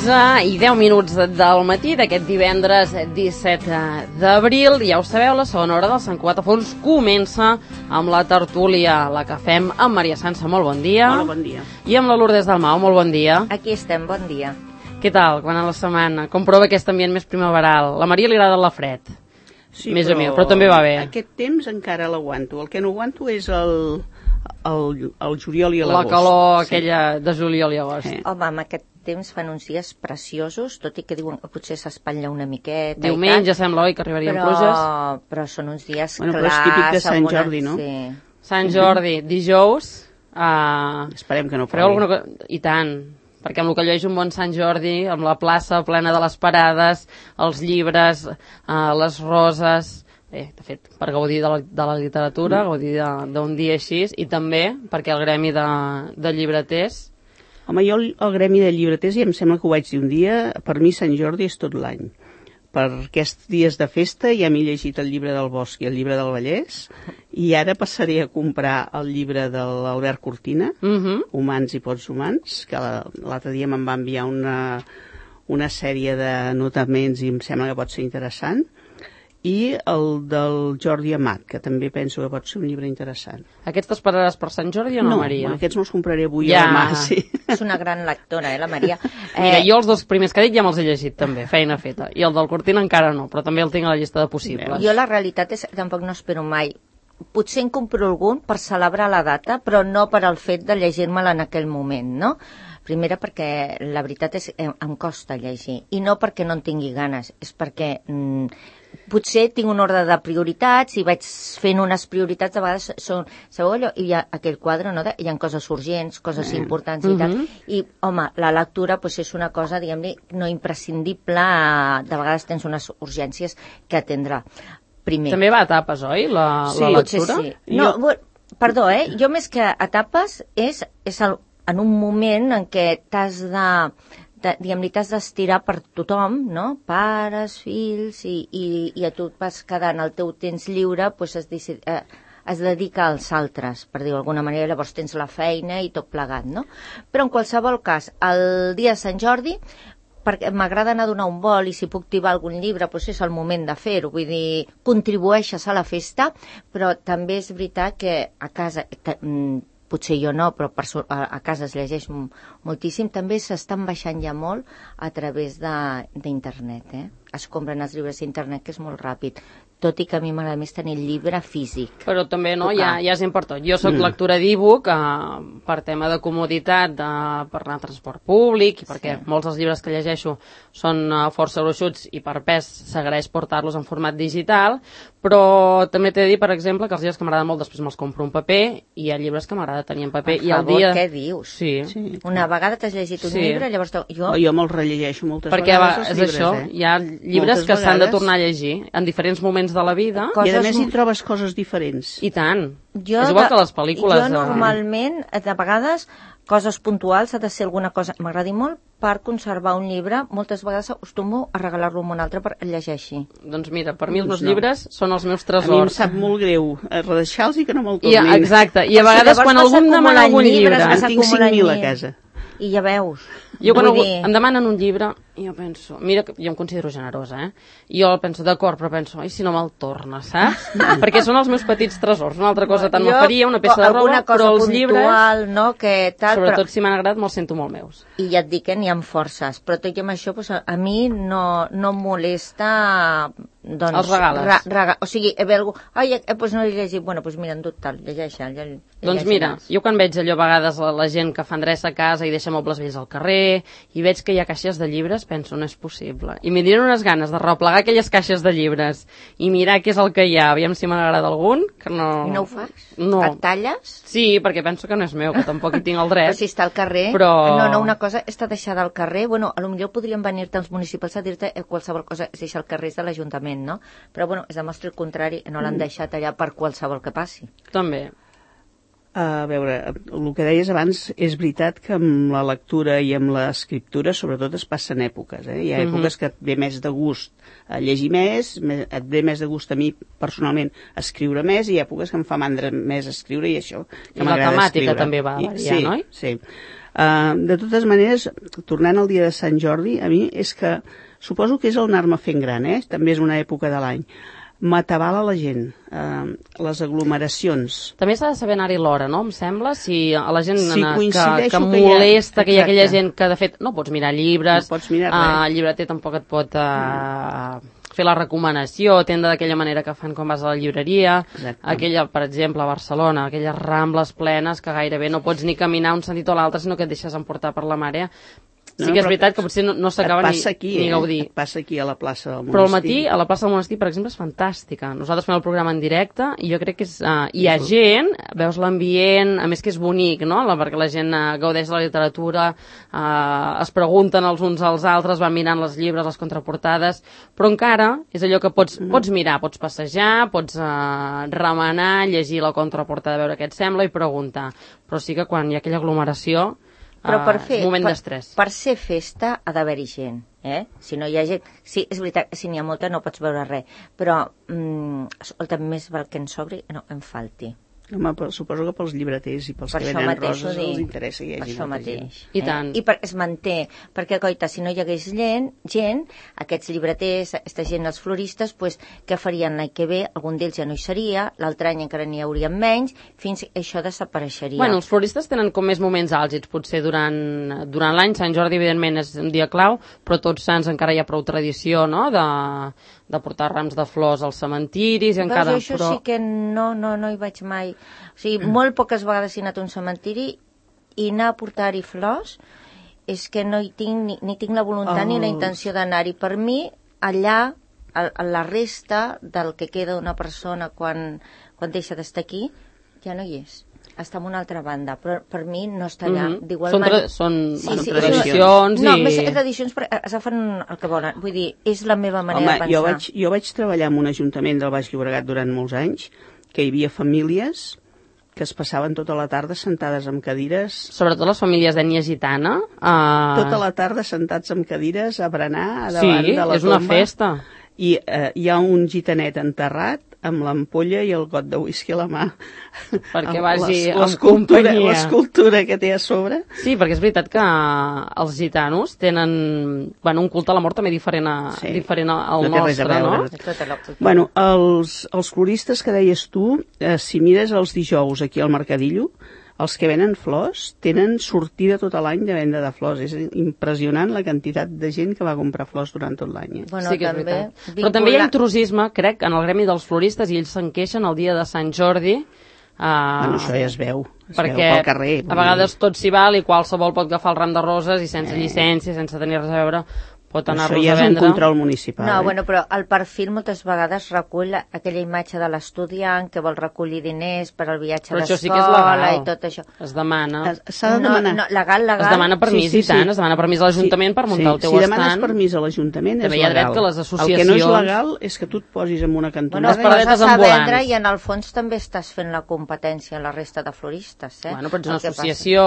11:10 del matí d'aquest divendres 17 d'abril. Ja ho sabeu, la segona hora del Sant Cugat a Fons comença amb la tertúlia, la que fem amb Maria Sança. Molt bon dia. Hola, bon dia. I amb la Lourdes Dalmau. Molt bon dia. Aquí estem, bon dia. Què tal, quan a la setmana? Com prova aquest ambient més primaveral? La Maria li agrada la fred. Sí, més a mi, però també va bé. Aquest temps encara l'aguanto. El que no aguanto és el juliol i l'agost. La calor aquella de juliol i agost. Home, amb aquest temps fan uns dies preciosos, tot i que diuen que potser s'espatlla una miqueta. Diumenge sembla, oi, que arribarien pluges. Però són uns dies clars. Però és típic de Sant Jordi, no? Sí. Sant Jordi, dijous. Esperem que no fareu alguna cosa. I tant, perquè amb el que allò és un bon Sant Jordi, amb la plaça plena de les parades, els llibres, les roses. Bé, de fet, per gaudir de la literatura, gaudir d'un dia així, i també perquè el gremi de llibreters... Home, jo el gremi de llibreters ja em sembla que ho vaig dir un dia, per mi Sant Jordi és tot l'any. Per aquests dies de festa ja m'he llegit el llibre del Bosch i el llibre del Vallès, i ara passaré a comprar el llibre de l'Albert Cortina, Humans i pots humans, que l'altre dia me'n va enviar una sèrie de notaments i em sembla que pot ser interessant, i el del Jordi Amat, que també penso que pot ser un llibre interessant. Aquests t'esperaràs per Sant Jordi o no, Maria? No, aquests me'ls compraré avui o demà, sí. És una gran lectora, la Maria. Mira, jo els dos primers que he dit ja me'ls he llegit, també, feina feta. I el del Cortina encara no, però també el tinc a la llista de possibles. Jo la realitat és que tampoc no espero mai. Potser en compro algun per celebrar la data, però no per al fet de llegir-me'la en aquell moment, no? Primera perquè la veritat és que em costa llegir, i no perquè no en tingui ganes, és perquè potser tinc un ordre de prioritats i vaig fent unes prioritats, a vegades són, sabeu allò, hi ha aquell quadre, no? Hi ha coses urgents, coses importants i tal, i home, la lectura pues, és una cosa, diguem-ne, no imprescindible, de vegades tens unes urgències que atendre. Primer. També va a etapes, oi, la lectura? Sí. No, perdó, jo més que etapes és en un moment en què t'has diguem-ne, t'has d'estirar per tothom, no? Pares, fills, i a tu et vas quedant el teu temps lliure, doncs es dedica als altres, per dir-ho d'alguna manera, llavors tens la feina i tot plegat, no? Però en qualsevol cas, el dia de Sant Jordi, perquè m'agrada anar a donar un vol i si puc tibar algun llibre, doncs és el moment de fer-ho, vull dir, contribueixes a la festa, però també és veritat que a casa... potser jo no, però a casa es llegeix moltíssim, també s'estan baixant ja molt a través d'internet, es compren els llibres d'internet, que és molt ràpid, tot i que a mi m'agrada més tenir el llibre físic. Però també, no, ja és important. Jo soc lectora d'e-book per tema de comoditat, per anar a transport públic, i perquè molts dels llibres que llegeixo són força gruixuts i per pes s'agraeix portar-los en format digital, però també t'he de dir, per exemple, que els llibres que m'agraden molt després me'ls compro en paper, i hi ha llibres que m'agrada tenir en paper. Per favor, què dius? Sí. Una vegada t'has llegit un llibre, llavors... Jo me'ls rellegeixo moltes vegades els llibres, és això, hi ha llibres que s'han de tornar a llegir en diferents moments de la vida. I a més hi trobes coses diferents. I tant. És igual que les pel·lícules. Jo normalment, de vegades, coses puntuals, ha de ser alguna cosa que m'agradi molt per conservar un llibre. Moltes vegades acostumo a regalar-lo a un altre per llegeixi. Doncs mira, per mi els meus llibres són els meus tresors. A mi em sap molt greu redeixar-los i que no me'l tornin. Exacte, i a vegades quan algú em demana algun llibre... En tinc 5.000 a casa. I ja veus. Jo quan em demanen un llibre, jo penso, mira, jo em considero generosa, I jo penso, d'acord, però penso, ai, si no me'l torna, saps? Perquè són els meus petits tresors, una altra cosa tant no faria, una peça de roba, però els llibres, no, que tal, sobretot si m'han agradat, me'ls sento molt meus. I ja et dic que n'hi ha forces, però tot i amb això, a mi no em molesta... Els regales. O sigui, ve algú, doncs no l'he llegit, bueno, doncs mira, endut tal, llegeixa'l. Doncs mira, jo quan veig allò a vegades la gent que fa endreça a casa i deixa mobles vells al carrer, i veig que hi ha caixes de llibres, penso, no és possible. I m'hi diran unes ganes de replegar aquelles caixes de llibres i mirar què és el que hi ha, aviam si m'agrada algun, que no... I no ho fas? No. Et talles? Sí, perquè penso que no és meu, que tampoc hi tinc el dret. Però si està al carrer... Però... No, una cosa està deixada al carrer, bueno, potser podrien venir-te els municipals a dir-te qualsevol cosa es deixa al carrer de l'Ajuntament, no? Però bueno, es demostra el contrari, no l'han deixat allà per qualsevol que passi. També. A veure, el que deies abans és veritat que amb la lectura i amb l'escriptura sobretot es passen èpoques. Hi ha èpoques que et ve més de gust llegir més, et ve més de gust a mi personalment escriure més, i hi ha èpoques que em fa mandra més escriure, i això que m'agrada escriure. I la temàtica també va variar, no? Sí. De totes maneres, tornant al dia de Sant Jordi, a mi és que suposo que és el anar-me fent gran, també és una època de l'any. M'atabala la gent, les aglomeracions. També s'ha de saber anar-hi l'hora, no? Em sembla, si a la gent que molesta, que hi ha aquella gent que, de fet, no pots mirar llibres, no pots mirar res. El llibreter tampoc et pot fer la recomanació, atendre d'aquella manera que fan quan vas a la llibreria. Exacte. Aquella, per exemple, a Barcelona, aquelles rambles plenes que gairebé no pots ni caminar un sentit o l'altre, sinó que et deixes emportar per la màrea. Sí que és veritat que potser no s'acaba ni gaudir. Et passa aquí a la plaça del Monestir. Però al matí, a la plaça del Monestir, per exemple, és fantàstica. Nosaltres fem el programa en directe i jo crec que hi ha gent, veus l'ambient, a més que és bonic, no? Perquè la gent gaudeix de la literatura, es pregunten els uns als altres, van mirant les llibres, les contraportades, però encara és allò que pots mirar, pots passejar, pots remenar, llegir la contraportada, veure què et sembla i preguntar. Però sí que quan hi ha aquella aglomeració, però és un moment d'estrès. Per ser festa ha d'haver-hi gent, Si no hi ha gent... Sí, és veritat, si n'hi ha molta no pots veure res, però escolta, més val que en sobri, no en falti. Home, suposo que pels llibreters i pels que venen roses els interessa que hi hagi molta gent. I tant. I es manté, perquè, coita, si no hi hagués gent, aquests llibreters, aquesta gent, els floristes, pues, què farien l'any que ve? Algun d'ells ja no hi seria, l'altre any encara n'hi haurien menys, fins que això desapareixeria. Bueno, els floristes tenen com més moments àlgids, potser durant l'any. Sant Jordi, evidentment, és un dia clau, però Tots Sants encara hi ha prou tradició, no?, de portar rams de flors als cementiris i encara... Veus, això sí que no hi vaig mai. O sigui, molt poques vegades he anat a un cementiri i anar a portar-hi flors és que no hi tinc ni tinc la voluntat ni la intenció d'anar-hi. Per mi, allà, a la resta del que queda d'una persona quan deixa d'estar aquí, ja no hi és. Està en una altra banda, però per mi no està allà. Són tradicions i... No, més que tradicions, però agafen el que volen. Vull dir, és la meva manera de pensar. Jo vaig treballar en un ajuntament del Baix Llobregat durant molts anys, que hi havia famílies que es passaven tota la tarda sentades amb cadires... Sobretot les famílies d'ètnia gitana. Tota la tarda sentats amb cadires a berenar davant de la tomba. Sí, és una festa. I hi ha un gitanet enterrat amb l'ampolla i el got de whisky a la mà. Perquè vagi en companyia. L'escultura que té a sobre. Sí, perquè és veritat que els gitanos tenen un culte a la mort també diferent al nostre, no? Bueno, els floristes que deies tu, si mires els dijous aquí al Mercadillo, els que venen flors tenen sortida tot l'any de venda de flors. És impressionant la quantitat de gent que va comprar flors durant tot l'any. Bueno, sí que és veritat. Però també hi ha intrusisme, crec, en el gremi dels floristes, i ells se'n queixen el dia de Sant Jordi. Bueno, això ja es veu pel carrer. A vegades tot s'hi val i qualsevol pot agafar el ram de roses i sense llicència, sense tenir res a veure, pot anar-los a vendre. Això ja és un control municipal. No, bueno, però el perfil moltes vegades recull aquella imatge de l'estudiant que vol recollir diners per al viatge d'escola, sí que és legal. I tot això. Es demana. S'ha de demanar. No, legal. Es demana permís, i tant. Es demana permís a l'Ajuntament per muntar el teu estant. Si demanes permís a l'Ajuntament és legal. També hi ha dret que les associacions... El que no és legal és que tu et posis en una cantonada... Bueno, les paradetes ambulants. I en el fons també estàs fent la competència a la resta de floristes, Bueno, però ets una associació,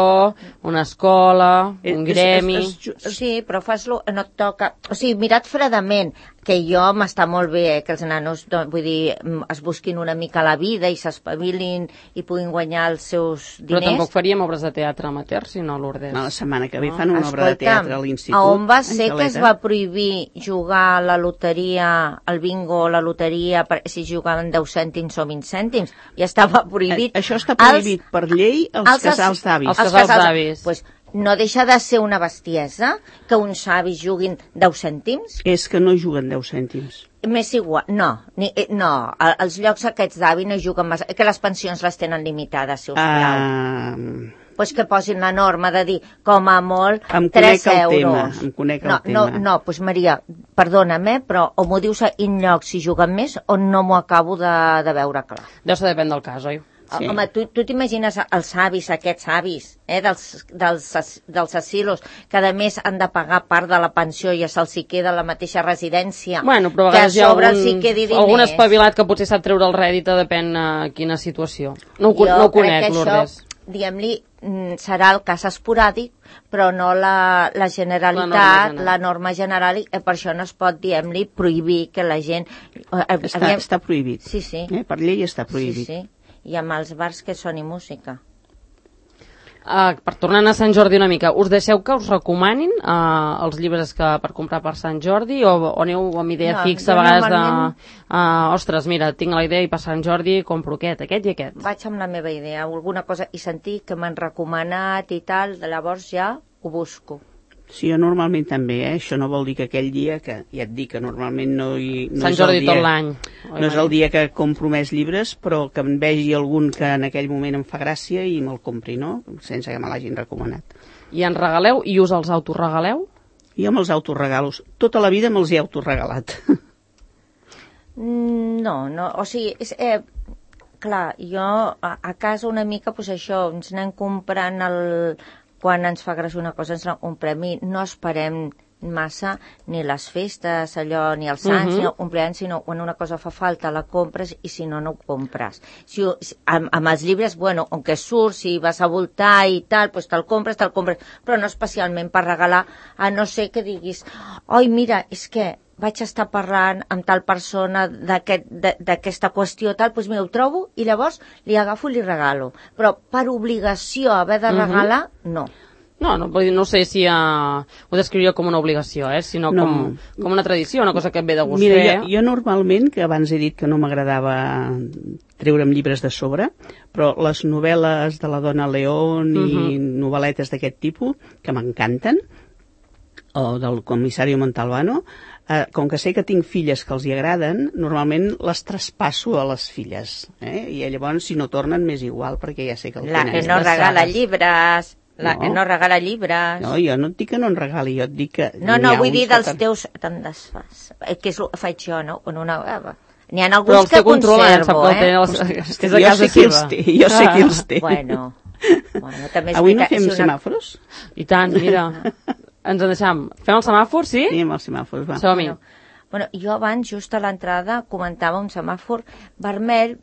una escola, un gremi... Sí, però fas-lo... No et toca... O sigui, mirat fredament, que jo m'està molt bé que els nanos, vull dir, es busquin una mica la vida i s'espavilin i puguin guanyar els seus diners. Però tampoc faríem obres de teatre amateur, si no, Lourdes. No, la setmana que ve fan una obra de teatre a l'Institut. A on va ser que es va prohibir jugar a la loteria, al bingo, la loteria, si jugaven 10 cèntims o 20 cèntims? Ja estava prohibit. Això està prohibit per llei als casals d'avis. Els casals d'avis. Pues, no deixa de ser una bestiesa que uns avis juguin 10 cèntims? És que no juguen 10 cèntims. M'és igual, no, els llocs aquests d'avi no juguen massa, que les pensions les tenen limitades, si us plau. Pues que posin la norma de dir, com a molt, 3 euros. Em conec el tema. No, pues Maria, perdona'm, però o m'ho dius en llocs si juguen més o no m'ho acabo de veure clar. Deu ser depèn del cas, oi? Sí. Home, tu t'imagines els avis, aquests avis, dels asilos, que a més han de pagar part de la pensió i se'ls hi queda a la mateixa residència. Bueno, però a vegades hi ha algun espavilat que potser sap treure el rèdit, depèn quina situació. No ho conec, Lourdes. Diguem-li, serà el cas esporàdic, però no la generalitat, la norma general, i per això no es pot, diguem-li, prohibir que la gent... Està prohibit. Sí, sí. Per llei està prohibit. Sí, sí. I amb els bars que soni música. Per tornar a Sant Jordi una mica, us deixeu que us recomanin els llibres per comprar per Sant Jordi o aneu amb idea fixa a vegades de ostres, mira, tinc la idea i per Sant Jordi compro aquest i aquest? Vaig amb la meva idea, alguna cosa, i sentir que m'han recomanat i tal, llavors ja ho busco. Sí, jo normalment també, això no vol dir que aquell dia, que ja et dic que normalment no Sant Jordi tot l'any. No és el dia que compro més llibres, però que em vegi algun que en aquell moment em fa gràcia i me'l compri, no? Sense que me l'hagin recomanat. I en regaleu i us els autoregaleu? Jo me'ls autoregalo. Tota la vida me'ls he autoregalat. No, o sigui, clar, jo a casa una mica, doncs això, ens anem comprant quan ens fa gràcia una cosa, ens la comprem i no esperem massa ni les festes, allò, ni els sants, ni el compleanys, sinó quan una cosa fa falta la compres i si no, no ho compres. Amb els llibres, bueno, on que surt, si vas a voltar i tal, doncs te'l compres, però no especialment per regalar, a no ser que diguis, oi, mira, és que vaig estar parlant amb tal persona d'aquesta qüestió, tal, doncs mira, ho trobo i llavors li agafo i li regalo. Però per obligació haver de regalar, no. No sé si ho descriuria com una obligació, sinó com una tradició, una cosa que et ve de gust fer. Mira, jo normalment, que abans he dit que no m'agradava treure'm llibres de sobre, però les novel·les de la Dona León i novel·letes d'aquest tipus, que m'encanten, o del comissari Montalbano, com que sé que tinc filles que els hi agraden, normalment les traspasso a les filles. I llavors, si no tornen, m'és igual, perquè ja sé que el tenen. La que no regala llibres... que no regala llibres... No, jo no et dic que no en regali, jo et dic que... No, vull dir dels teus... Te'n desfas. Que és el que faig jo, no? N'hi ha alguns que conservo, Jo sé qui els té. Bueno, avui no fem semàfors? I tant, mira... Ens en deixem. Fem el semàfor, sí? Sí, amb els semàfors, va. Som-hi. Bueno, jo abans, just a l'entrada, comentava un semàfor vermell,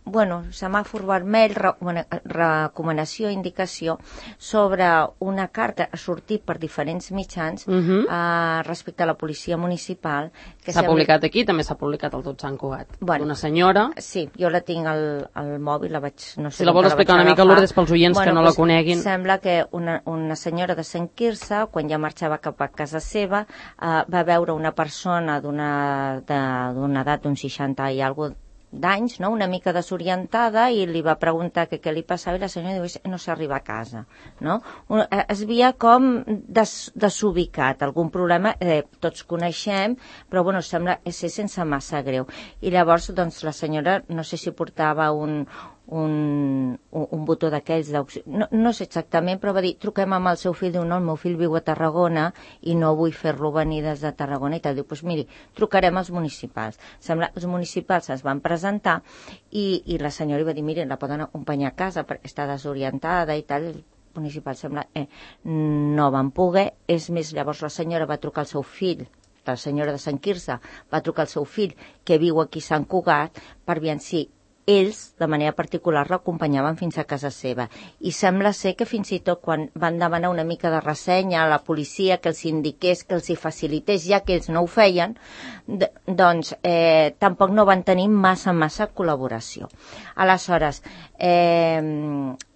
semàfor vermell, recomanació, indicació, sobre una carta a sortir per diferents mitjans respecte a la policia municipal. S'ha publicat aquí, també s'ha publicat al Tot Sant Cugat. Una senyora... Sí, jo la tinc al mòbil, la vaig... No sé si la vols explicar una mica, Lourdes, pels oients que no la coneguin. Sembla que una senyora de Sant Quirze, quan ja marxava cap a casa seva, va veure una persona d'una edat d'uns 60 i alguna d'anys, no? Una mica desorientada, i li va preguntar què li passava i la senyora diu, no s'arriba a casa, no? Es veia com desubicat, algun problema, tots coneixem, però sembla ser sense massa greu. I llavors, doncs, la senyora, no sé si portava un botó d'aquells d'auxili, no sé exactament, però va dir, truquem amb el seu fill, diu, no, el meu fill viu a Tarragona i no vull fer-lo venir des de Tarragona i tal. Diu, doncs miri, trucarem als municipals. Sembla, els municipals es van presentar i la senyora va dir, miri, la poden acompanyar a casa perquè està desorientada i tal. El municipal sembla, no van poder. És més, llavors la senyora va trucar al seu fill, la senyora de Sant Quirze va trucar al seu fill que viu aquí a Sant Cugat per veure si ells, de manera particular, l'acompanyaven fins a casa seva. I sembla ser que fins i tot quan van demanar una mica de ressenya a la policia, que els indiqués, que els hi facilités, ja que ells no ho feien, doncs tampoc no van tenir massa col·laboració. Aleshores,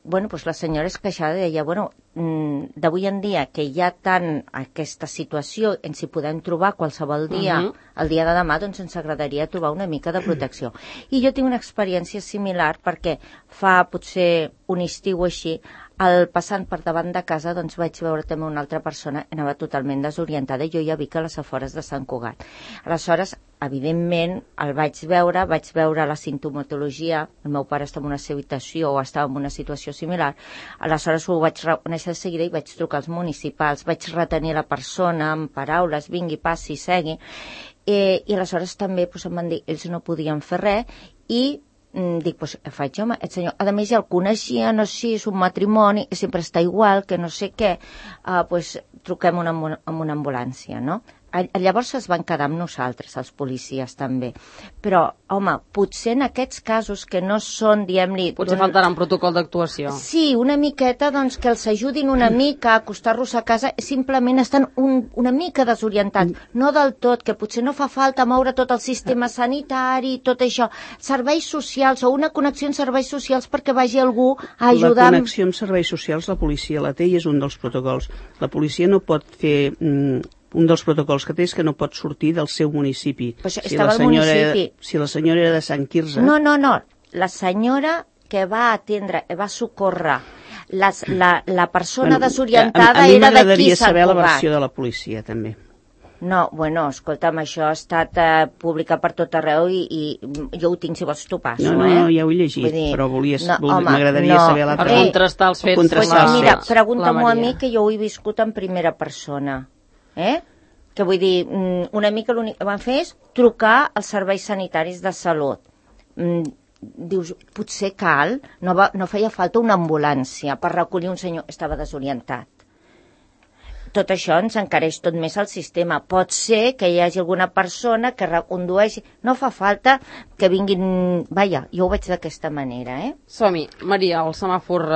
doncs la senyora es queixava, deia, d'avui en dia que hi ha tant aquesta situació, ens hi podem trobar qualsevol dia, el dia de demà, doncs ens agradaria trobar una mica de protecció. I jo tinc una experiència similar perquè fa potser un estiu així, passant per davant de casa, doncs vaig veure també una altra persona, anava totalment desorientada, i jo ja vic a les afores de Sant Cugat. Aleshores, evidentment, el vaig veure la sintomatologia, el meu pare estava en una situació o estava en una situació similar, aleshores ho vaig reconèixer de seguida i vaig trucar als municipals, vaig retenir la persona amb paraules, vingui, passi, segui, i aleshores també em van dir, ells no podien fer res, i dic, doncs faig jo, aquest senyor, a més ja el coneixia, no sé, és un matrimoni, sempre està igual, que no sé què, doncs truquem amb una ambulància, no? Llavors es van quedar amb nosaltres, els policies també. Però, home, potser en aquests casos que no són, diguem-li... Potser faltarà un protocol d'actuació. Sí, una miqueta, doncs, que els ajudin una mica a acostar-los a casa, simplement estan una mica desorientats. No del tot, que potser no fa falta moure tot el sistema sanitari, tot això. Serveis socials o una connexió amb serveis socials perquè vagi algú a ajudar... La connexió amb serveis socials la policia la té i és un dels protocols. La policia no pot fer... Un dels protocols que té és que no pot sortir del seu municipi. Si la senyora era de Sant Quirze... No. La senyora que va atendre, va socórrer la persona desorientada era d'aquí Sant Cugat. A mi m'agradaria saber la versió de la policia, també. No, bueno, escolta'm, això ha estat publicat per tot arreu i jo ho tinc, si vols t'ho passo, No, ja ho he llegit, però m'agradaria saber l'altra. Per contrastar els fets. Mira, pregunta-m'ho a mi, que jo ho he viscut en primera persona. Que vull dir, una mica l'únic que van fer és trucar als serveis sanitaris de salut. Dius, potser cal, no feia falta una ambulància per recollir un senyor que estava desorientat. Tot això ens encareix tot més el sistema. Pot ser que hi hagi alguna persona que recondueixi. No fa falta que vinguin... Vaja, jo ho veig d'aquesta manera, Som-hi. Maria, el semàfor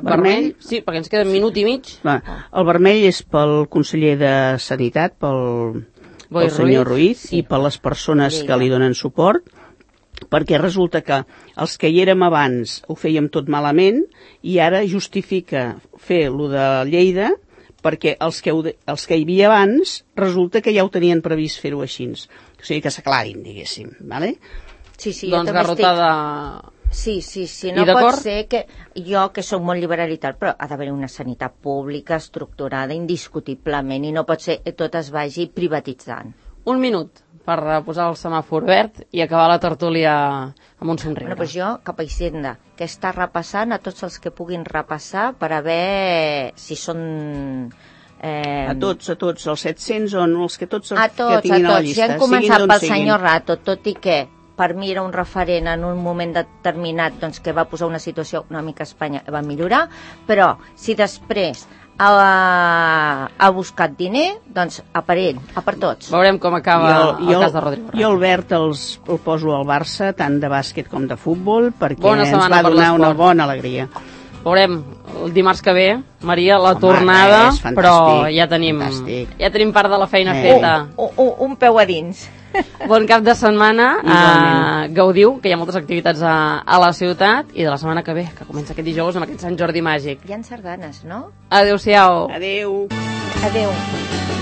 vermell? Sí, perquè ens queda un minut i mig. El vermell és pel conseller de Sanitat, pel senyor Ruiz, i per les persones que li donen suport, perquè resulta que els que hi érem abans ho fèiem tot malament i ara justifica fer lo de Lleida perquè els que hi havia abans resulta que ja ho tenien previst fer-ho així. O sigui, que s'aclarin, diguéssim. Vale? Sí, doncs garrotada... Sí, no pot ser que jo, que soc molt liberal i tal, però ha d'haver una sanitat pública estructurada indiscutiblement i no pot ser que tot es vagi privatitzant. Un minut per posar el semàfor verd i acabar la tertúlia amb un somriure. Doncs jo, cap a Hisenda, que està repassant a tots els que puguin repassar per a veure si són... A tots, els 700 o no, els que tots que tinguin a la llista. Ja hem començat pel senyor Rato, tot i que per mi era un referent en un moment determinat doncs, que va posar una situació econòmica a Espanya que va millorar, però si després ha buscat diner, doncs a per ell, a per tots. Veurem com acaba el cas de Rodrigo. Jo el verd el poso al Barça, tant de bàsquet com de futbol, perquè ens va donar una bona alegria. Veurem el dimarts que ve, Maria, la tornada, però ja tenim part de la feina feta. Un peu a dins. Bon cap de setmana, gaudiu, que hi ha moltes activitats a la ciutat, i de la setmana que ve, que comença aquest dijous amb aquest Sant Jordi màgic. Hi ha sardanes, no? Adéu-siau. Adéu. Adéu.